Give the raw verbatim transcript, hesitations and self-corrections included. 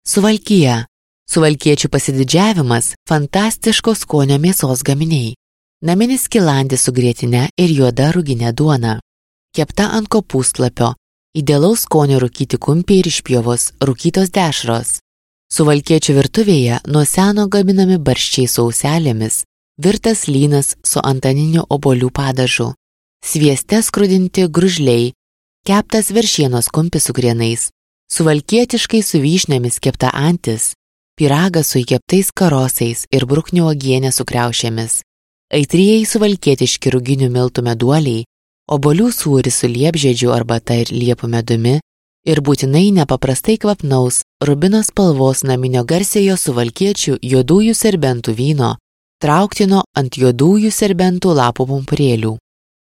Suvalkija. Suvalkiečių pasididžiavimas – fantastiško skonio mėsos gaminiai. Naminis skilandis su grietine ir juoda ruginė duona. Kepta ant kopūstlapio. Idealaus skonio rūkyti kumpiai ir išpjovos, rūkytos dešros. Suvalkiečių virtuvėje nuo seno gaminami barščiai su auselėmis, virtas lynas su antaniniu obuolių padažu, svieste skrudinti gružliai, keptas veršienos kumpis su krienais, suvalkietiškai su vyšnėmis kepta antis, pyragas su įkeptais karosais ir bruknių uogienė su kriaušėmis, aitrieji suvalkietiški ruginių miltų meduoliai, obuolių sūris su liepžiedžių arbata ir liepų medumi ir būtinai nepaprastai kvapnaus rubino spalvos naminio garsiojo suvalkiečių juodųjų serbentų vyno, trauktino ant juodųjų serbentų lapų pumpurėlių.